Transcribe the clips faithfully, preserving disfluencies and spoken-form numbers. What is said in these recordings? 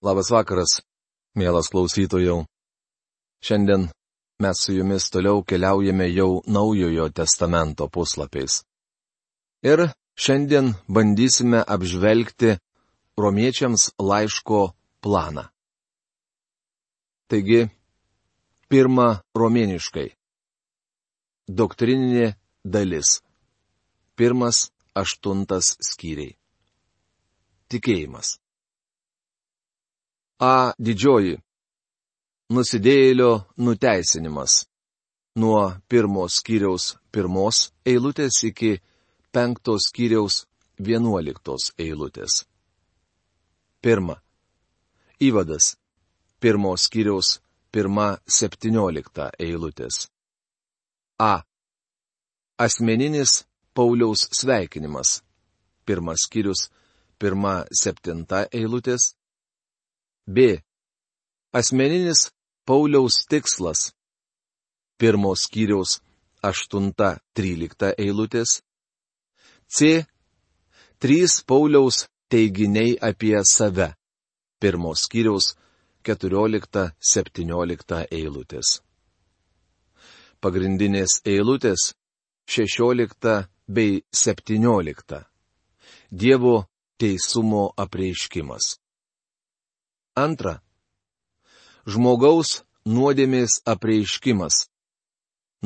Labas vakaras, mielas klausytojau. Šiandien mes su jumis toliau keliaujame jau Naujojo testamento puslapiais. Ir šiandien bandysime apžvelgti romiečiams laiško planą. Taigi, pirma romėniškai. Doktrininė dalis. Pirmas, aštuntas skyriai. Tikėjimas. A. Didžioji. Nusidėjėlio nuteisinimas. Nuo pirmos skyriaus pirmos eilutės iki penktos skyriaus vienuoliktos eilutės. Pirma. Įvadas. Pirmos skyriaus pirma septyniolikta eilutės. A. Asmeninis Pauliaus sveikinimas. Pirmas skyrius pirma septinta eilutės. B. Asmeninis Pauliaus tikslas. Pirmos skyriaus aštunta trylikta eilutės. C. Trys Pauliaus teiginiai apie save. Pirmos skyriaus keturiolikta septyniolikta eilutės. Pagrindinės eilutės šešiolikta bei septyniolikta. Dievo teisumo apreiškimas. Antra. Žmogaus nuodėmės apreiškimas.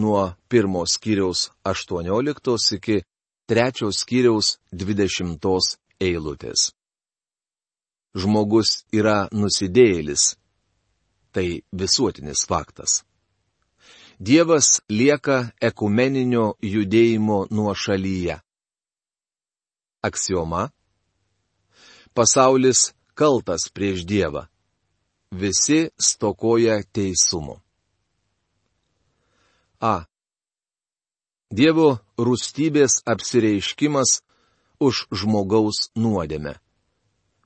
Nuo pirmos skyriaus aštuonioliktos iki trečios skyriaus dvidešimtos eilutės. Žmogus yra nusidėjėlis. Tai visuotinis faktas. Dievas lieka ekumeninio judėjimo nuošalyje. Aksioma. Pasaulis kaltas prieš Dievą. Visi stokoja teisumo. A. Dievo rūstybės apsireiškimas už žmogaus nuodėmę.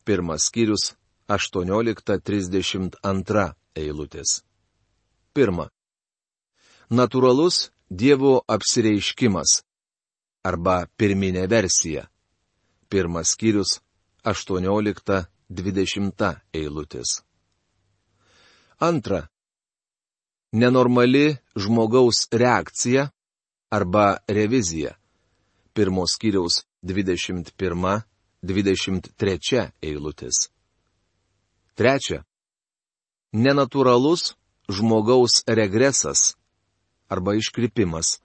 Pirmas skyrius aštuoniolikta trisdešimt antra eilutės. Pirma. Natūralus Dievo apsireiškimas. Arba pirminė versija. Pirmas skyrius aštuoniolikta dvidešimta eilutės. Antra. Nenormali žmogaus reakcija arba revizija. Pirmos skyriaus dvidešimt pirma dvidešimt trečia eilutės. Trečia. Nenatūralus žmogaus regresas arba iškrypimas.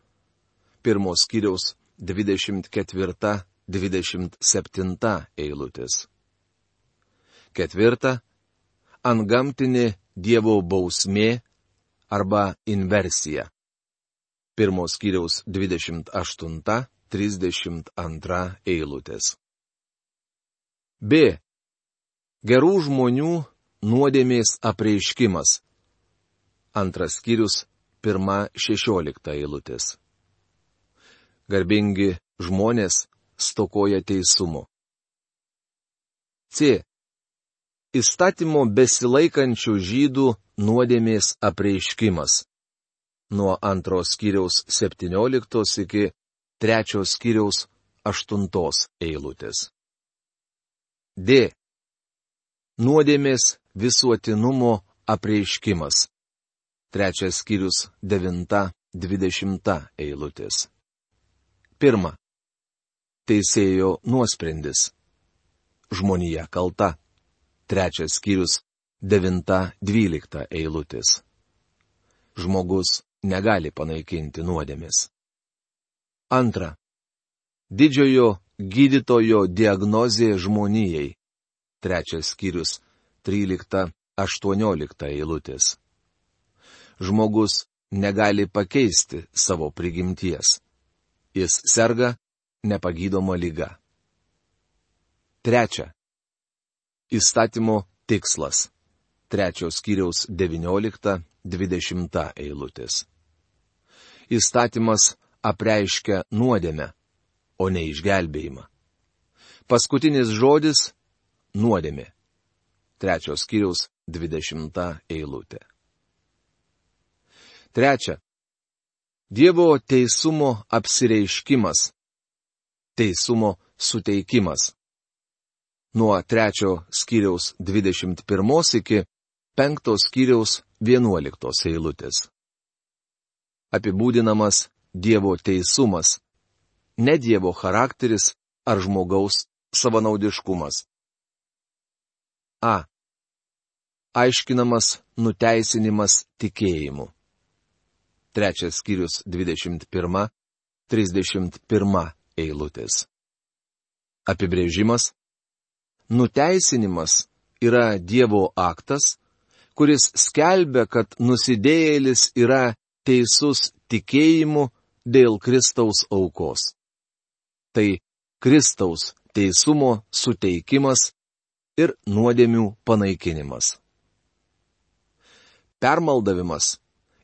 Pirmos skyriaus dvidešimt ketvirta dvidešimt septinta eilutės. Ketvirta. Antgamtinė Dievo bausmė arba inversija. Pirmos skyriaus dvidešimt aštunta trisdešimt antra eilutės. B. Gerų žmonių nuodėmės apreiškimas. Antras skyrius pirma šešiolikta eilutės. Garbingi žmonės stokoja teisumo. C. Įstatymo besilaikančių žydų nuodėmės apreiškimas. Nuo antros skyriaus septynioliktos iki trečios skyriaus aštuntos eilutės. D. Nuodėmės visuotinumo apreiškimas. Trečias skyrius devinta dvidešimta eilutės. Pirma. Teisėjo nuosprendis. Žmonija kalta. Trečias skyrius devinta dvylikta eilutės. Žmogus negali panaikinti nuodėmės. Antra. Didžiojo gydytojo diagnozė žmonijai. Trečias skyrius trylikta aštuoniolikta eilutės. Žmogus negali pakeisti savo prigimties. Jis serga nepagydoma liga. Trečia. Įstatymo tikslas. Trečios skyriaus devyniolikta dvidešimta eilutės. Įstatymas apreiškia nuodėmę, o ne išgelbėjimą. Paskutinis žodis - nuodėmė. Trečios skyriaus dvidešimta eilutė. Trečia. Dievo teisumo apsireiškimas. Teisumo suteikimas. nuo trečio skyriaus dvidešimt pirmos iki penktos skyriaus vienuoliktos eilutės. Apibūdinamas Dievo teisumas, ne Dievo charakteris ar žmogaus savanaudiškumas. A. Aiškinamas nuteisinimas tikėjimu. Trečias skyrius dvidešimt pirma trisdešimt pirma eilutės. Apibrėžimas. Nuteisinimas yra Dievo aktas, kuris skelbia, kad nusidėjėlis yra teisus tikėjimu dėl Kristaus aukos. Tai Kristaus teisumo suteikimas ir nuodėmių panaikinimas. Permaldavimas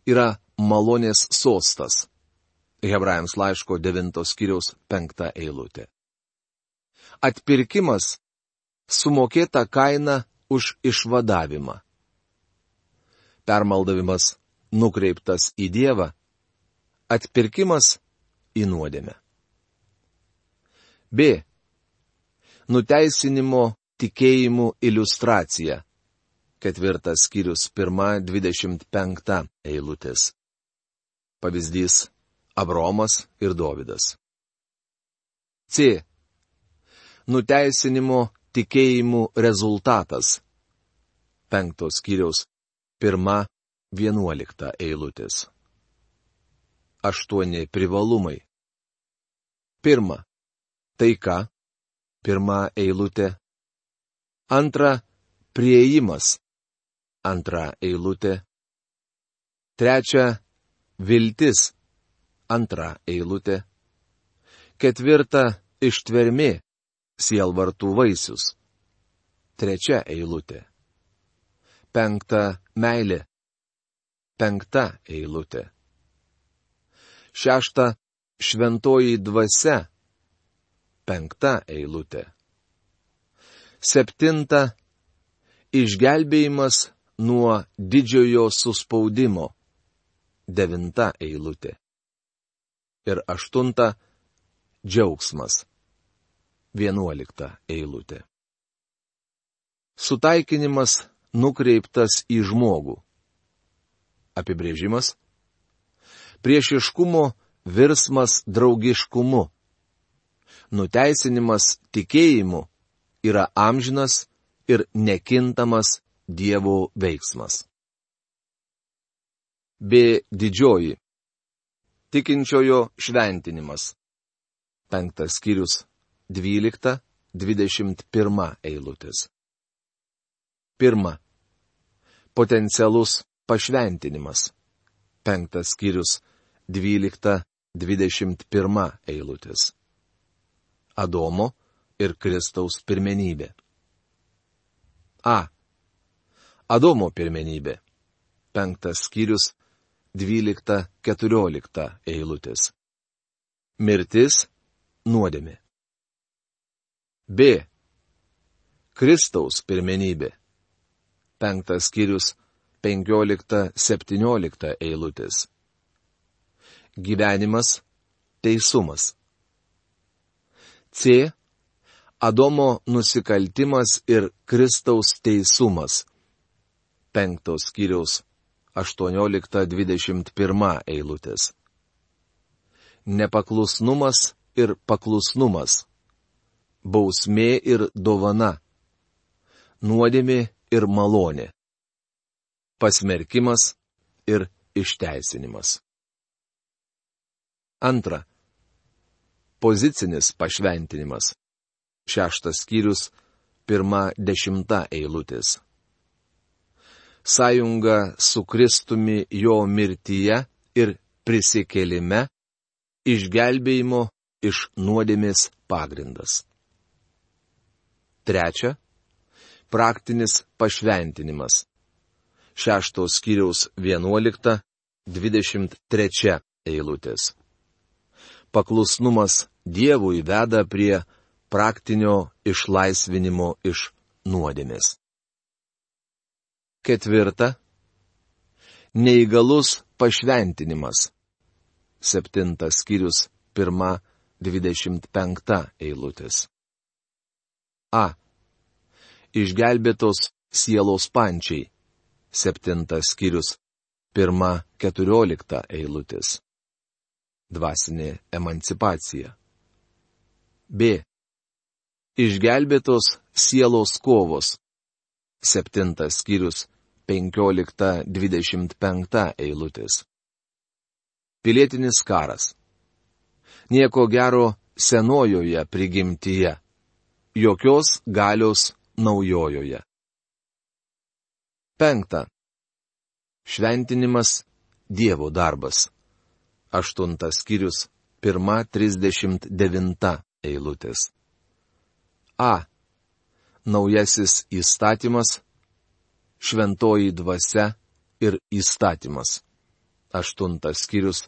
yra malonės sostas. Hebrajams laiško devintos skyriaus penkta eilutė. Atpirkimas – sumokėta kaina už išvadavimą. Permaldavimas nukreiptas į Dievą, atpirkimas į nuodėmę. B. Nuteisinimo tikėjimų iliustracija. Ketvirtas skyrius pirma dvidešimt penkta eilutės. Pavyzdys – Abromas ir Dovydas. C. Nuteisinimo tikėjimų rezultatas. Penktos skyriaus pirma vienuolikta eilutės. Aštuoni privalumai. Pirma. Taika. Pirma eilutė. Antra. Priėjimas. Antra eilutė. Trečia. Viltis. Antra eilutė. Ketvirta. Ištvermė. Sielvartų vaisius. Trečia eilutė. Penkta. Meilė. Penkta eilutė. Šešta. Šventoji dvasia. Penkta eilutė. Septinta. Išgelbėjimas nuo didžiojo suspaudimo. Devinta eilutė. Ir aštunta. Džiaugsmas. Vienuolikta eilutė. Sutaikinimas nukreiptas į žmogų. Apibrėžimas. Priešiškumo virsmas draugiškumu. Nuteisinimas tikėjimu yra amžinas ir nekintamas Dievo veiksmas. B. Didžioji. Tikinčiojo šventinimas. Penktas skyrius dvylikta dvidešimt pirma eilutės. Pirma. Potencialus pašventinimas. Penktas skyrius dvylikta dvidešimt pirma eilutės. Adomo ir Kristaus pirmenybė. A. Adomo pirmenybė. Penktas skyrius dvylikta keturiolikta eilutės. Mirtis, nuodėmė. B. Kristaus pirmenybė. Penktas skyrius penkiolikta septyniolikta eilutės. Gyvenimas, teisumas. C. Adomo nusikaltimas ir Kristaus teisumas. Penktos skyriaus aštuoniolikta dvidešimt pirma eilutės. Nepaklusnumas ir paklusnumas. Bausmė ir dovana. Nuodėmė ir malonė. Pasmerkimas ir išteisinimas. Antra. Pozicinis pašventinimas. Šeštas skyrius, pirma dešimta eilutės. Sąjunga su Kristumi jo mirtyje ir prisikėlime, išgelbėjimo iš nuodėmės pagrindas. Trečia. Praktinis pašventinimas. Šeštos skyriaus vienuolikta dvidešimt trečia eilutės. Paklusnumas Dievui veda prie praktinio išlaisvinimo iš nuodėmės. Ketvirta. Neįgalus pašventinimas. Septintas skyrius, pirma dvidešimt penkta eilutės. A. Išgelbėtos sielos pančiai. Septintas skyrius. Pirma keturiolikta eilutės. Dvasinė emancipacija. B. Išgelbėtos sielos kovos. Septintas skyrius. Penkiolikta dvidešimt penkta eilutės. Pilietinis karas. Nieko gero senojoje prigimtyje. Jokios galios naujojoje. Penkta. Šventinimas Dievo darbas. Aštuntas skyrius. Pirma trisdešimt devinta eilutės. A. Naujasis įstatymas. Šventoji dvasia ir įstatymas. Aštuntas skyrius.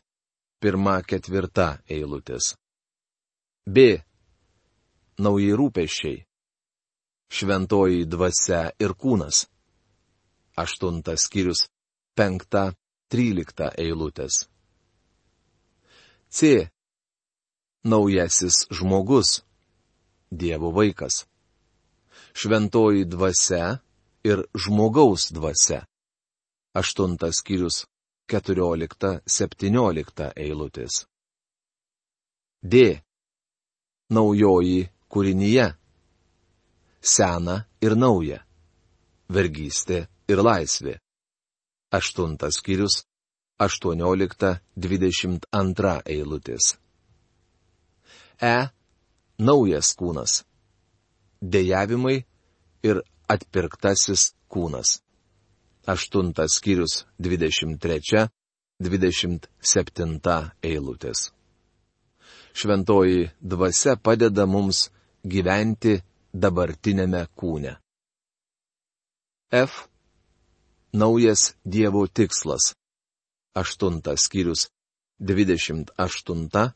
Pirma ketvirta eilutės. B. Nauji rūpesčiai. Šventoji dvasia ir kūnas. Aštuntas skyrius. Penkta trylikta eilutės. C. Naujasis žmogus. Dievo vaikas. Šventoji dvasia ir žmogaus dvasia. Aštuntas skyrius. Keturiolikta septyniolikta eilutės. D. Naujoji kūrinyje. Sena ir nauja. Vergystė ir laisvė. Aštuntas skyrius. Aštuoniolikta dvidešimt antra eilutės. E. Naujas kūnas. Dejavimai ir atpirktasis kūnas. Aštuntas skyrius. Dvidešimt trečia, dvidešimt septinta eilutės. Šventoji dvasia padeda mums gyventi dabartinėme kūne. F. Naujas Dievo tikslas. Aštuntas skyrius. Dvidešimt aštunta,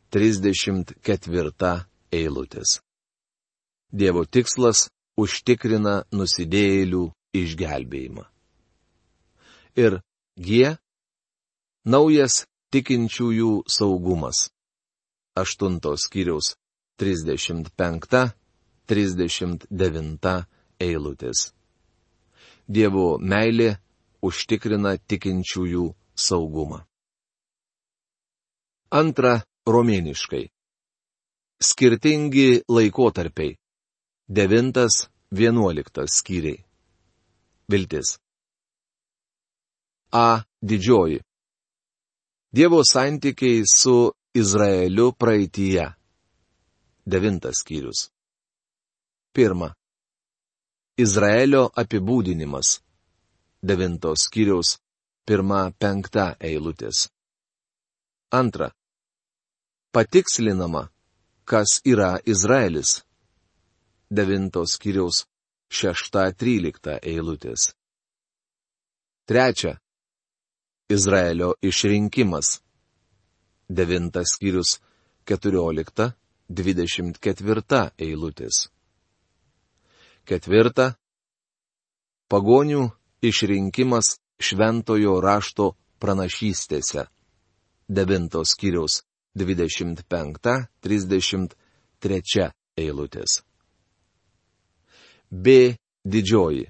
trisdešimt ketvirta eilutės. Dievo tikslas užtikrina nusidėjėlių išgelbėjimą. Ir G. Naujas tikinčiųjų saugumas. Aštuntos skyriaus. Trisdešimt penkta, trisdešimt devinta eilutės. Dievo meilė užtikrina tikinčiųjų saugumą. Antra romėniškai. Skirtingi laikotarpiai. Devintas, vienuoliktas skyriai. Viltis. A. Didžioji. Dievo santykiai su Izraeliu praeityje. Devintas skyrius. Pirma. Izraelio apibūdinimas. Devintos skyriaus. Pirma penkta eilutės. Antra. Patikslinama, kas yra Izraelis. Devintos skyriaus. Šešta trylikta eilutės. Trečia. Izraelio išrinkimas. Devintas skyrius. Keturiolikta, dvidešimt ketvirta eilutės. Ketvirta. Pagonių išrinkimas šventojo rašto pranašystėse. Devintos skyriaus. Dvidešimt penkta, trisdešimt trečia eilutės. B. Didžioji.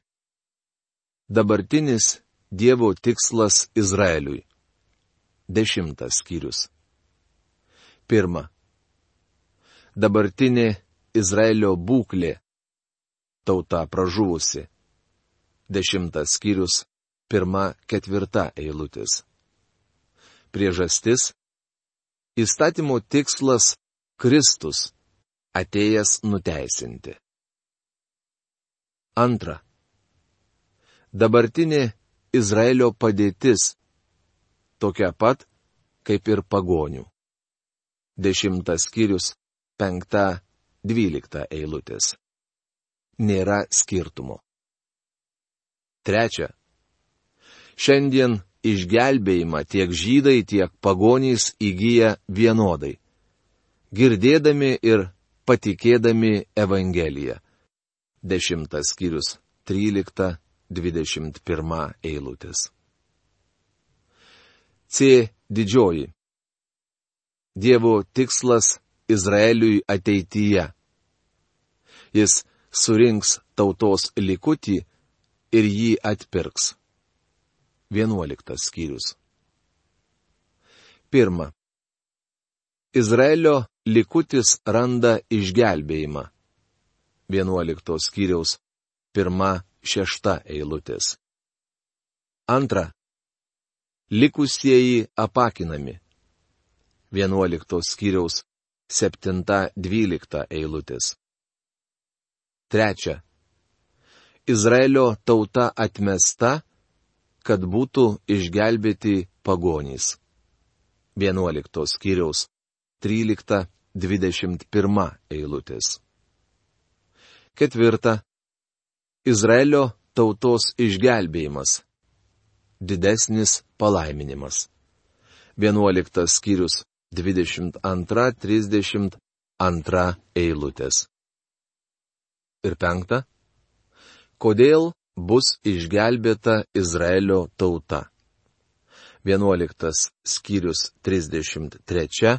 Dabartinis Dievo tikslas Izraeliui. Dešimtas skyrius. Pirma. Dabartinė Izraelio būklė. Tauta pražuvusi. Dešimtas skyrius. Pirma ketvirta eilutės. Priežastis. Įstatymo tikslas Kristus, atėjęs nuteisinti. Antra. Dabartinė Izraelio padėtis, tokia pat, kaip ir pagonių. Dešimtas skyrius, penkta, dvylikta eilutės. Nėra skirtumo. Trečia. Šiandien išgelbėjimą tiek žydai, tiek pagonys įgyja vienodai, girdėdami ir patikėdami Evangeliją. Dešimtas skyrius, trylikta, dvidešimt pirma eilutės. C. Didžioji. Dievo tikslas Izraeliui ateityje. Jis surinks tautos likutį ir jį atpirks. Vienuoliktas skyrius. Pirma. Izraelio likutis randa išgelbėjimą. Vienuoliktos skyriaus pirma šešta eilutės. Antra. Likusieji apakinami. Vienuoliktos skyriaus septinta dvylikta eilutės. Trečia. Izraelio tauta atmesta, kad būtų išgelbėti pagonys. Vienuoliktos skyriaus trylikta dvidešimt pirma eilutės. Ketvirta. Izraelio tautos išgelbėjimas. Didesnis palaiminimas. Vienuoliktas skyrius dvidešimt antra trisdešimt antra eilutės. Ir penkta. Kodėl bus išgelbėta Izraelio tauta? Vienuoliktas skyrius trisdešimt trečia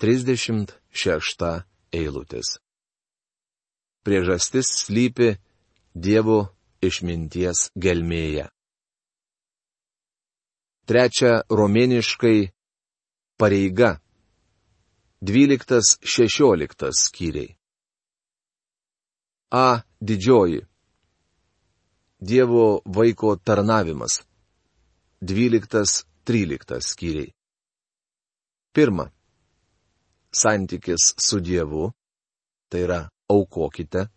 trisdešimt šešta eilutės. Priežastis slypi Dievo išminties gelmėje. Trečia romėniškai pareiga. Dvyliktas šešioliktas skyriai. A. Didžioji. Dievo vaiko tarnavimas. Dvyliktas tryliktas skyriai. Pirma. Santykis su Dievu, tai yra aukokite.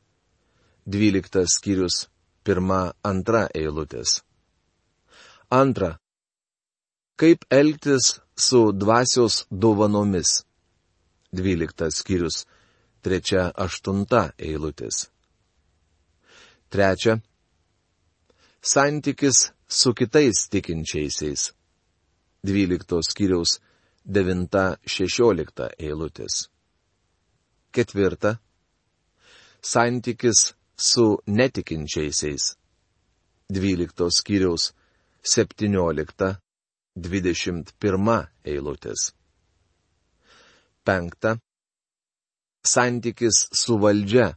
Dvyliktas skyrius pirma antra eilutės. Antra. Kaip elgtis su dvasios dovanomis. Dvyliktas skyrius trečia aštunta eilutės. Trečia. Santykis su kitais tikinčiaisiais. Dvyliktos skyriaus devinta šešiolikta eilutės. Ketvirta. Santykis su netikinčiaisiais. Dvyliktos skyriaus septyniolikta dvidešimt pirma eilutės. Penkta. Santykis su valdžia.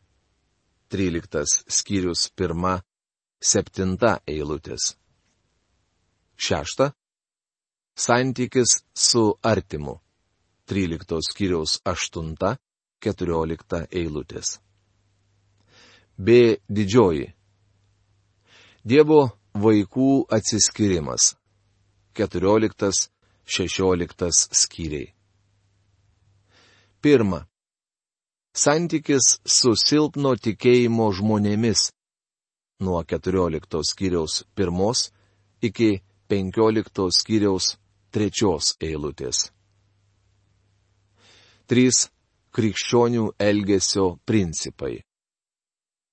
Tryliktas skyrius pirma septinta eilutės. Šešta. Santykis su artimu. Tryliktos skyriaus aštunta keturiolikta eilutės. B. Didžioji. Dievo vaikų atsiskyrimas. Keturioliktas šešioliktas skyriai. Pirma. Santykis su silpno tikėjimo žmonėmis. Nuo keturioliktos skyriaus pirmos iki penkioliktos skyriaus trečios eilutės. Trys. Krikščionių elgesio principai.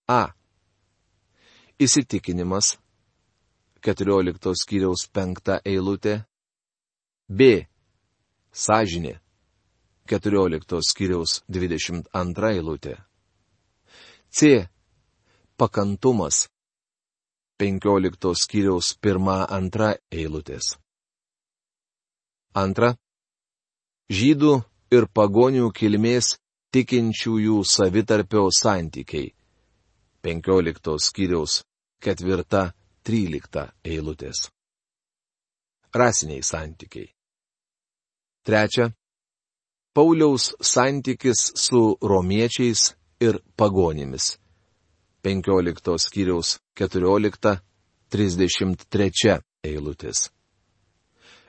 A. Įsitikinimas. keturioliktos skyriaus penkta eilutė. B. Sąžinė. keturioliktos skyriaus dvidešimt antra eilutė. C. Pakantumas. penkioliktos skyriaus pirma antra eilutės. Antra. Žydų ir pagonių kilmės tikinčiųjų savitarpio santykiai. penkioliktos skyriaus ketvirta trylikta eilutės. Rasiniai santykiai. Trečia. Pauliaus santykis su romiečiais ir pagonimis. penkioliktos skyriaus keturiolikta trisdešimt trečia eilutės.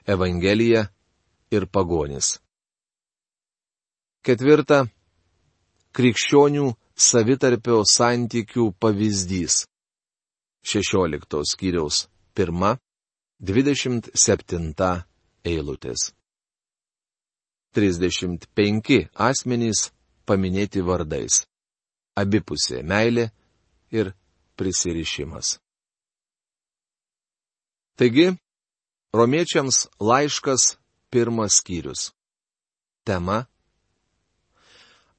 Evangelija ir pagonis. Ketvirta. Krikščionių savitarpio santykių pavyzdys. šešioliktos skyriaus pirma dvidešimt septinta eilutės. trisdešimt penki asmenys paminėti vardais. Abipusė meilė ir prisirišimas. Taigi, romiečiams laiškas pirmas skyrius. Tema.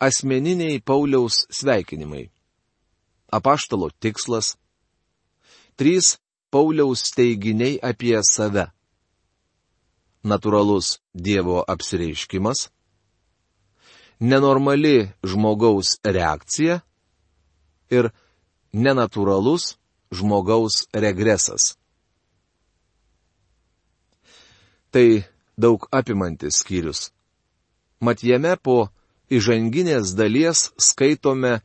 Asmeniniai Pauliaus sveikinimai. Apaštalo tikslas. Trys Pauliaus teiginiai apie save. Natūralus Dievo apsireiškimas. Nenormali žmogaus reakcija. Ir nenatūralus žmogaus regresas. Tai daug apimantis skyrius. Mat jame po įžanginės dalies skaitome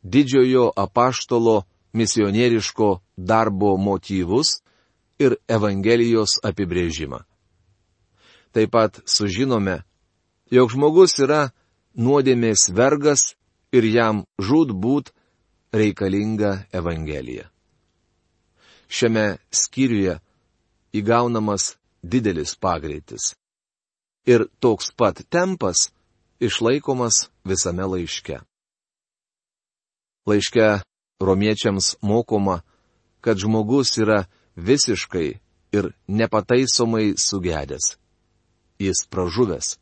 didžiojo apaštalo misionieriško darbo motyvus ir Evangelijos apibrėžimą. Taip pat sužinome, jog žmogus yra nuodėmės vergas ir jam žūtbūt reikalinga Evangelija. Šiame skyriuje įgaunamas didelis pagreitis. Ir toks pat tempas išlaikomas visame laiške. Laiške romiečiams mokoma, kad žmogus yra visiškai ir nepataisomai sugedęs. Jis pražuvęs.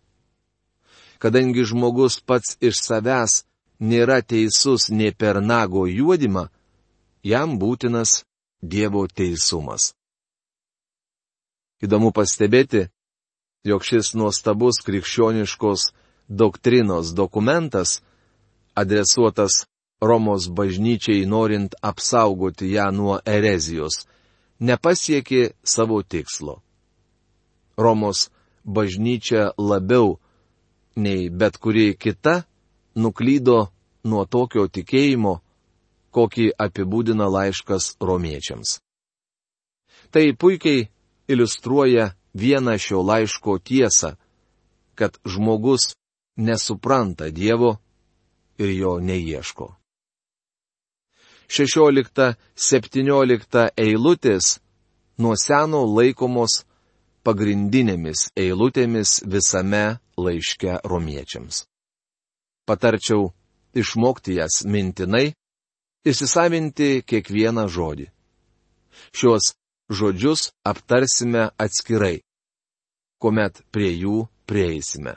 Kadangi žmogus pats iš savęs nėra teisus nė per nago juodimą, jam būtinas Dievo teisumas. Įdomu pastebėti, jog šis nuostabus krikščioniškos doktrinos dokumentas, adresuotas Romos bažnyčiai norint apsaugoti ją nuo erezijos, nepasiekė savo tikslo. Romos bažnyčia labiau nei bet kuri kita nuklydo nuo tokio tikėjimo, kokį apibūdina laiškas romiečiams. Tai puikiai iliustruoja vieną šio laiško tiesą, kad žmogus nesupranta Dievo ir jo neieško. šešiolikta septyniolikta eilutės nuo seno laikomos pagrindinėmis eilutėmis visame laiške romiečiams. Patarčiau išmokti jas mintinai, įsisavinti kiekvieną žodį. Šios žodžius aptarsime atskirai, kuomet prie jų prieisime.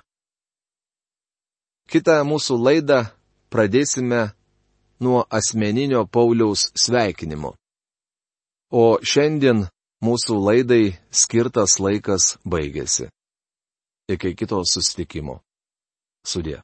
Kitą mūsų laidą pradėsime nuo asmeninio Pauliaus sveikinimo. O šiandien mūsų laidai skirtas laikas baigėsi. Iki kito susitikimo. Sudie.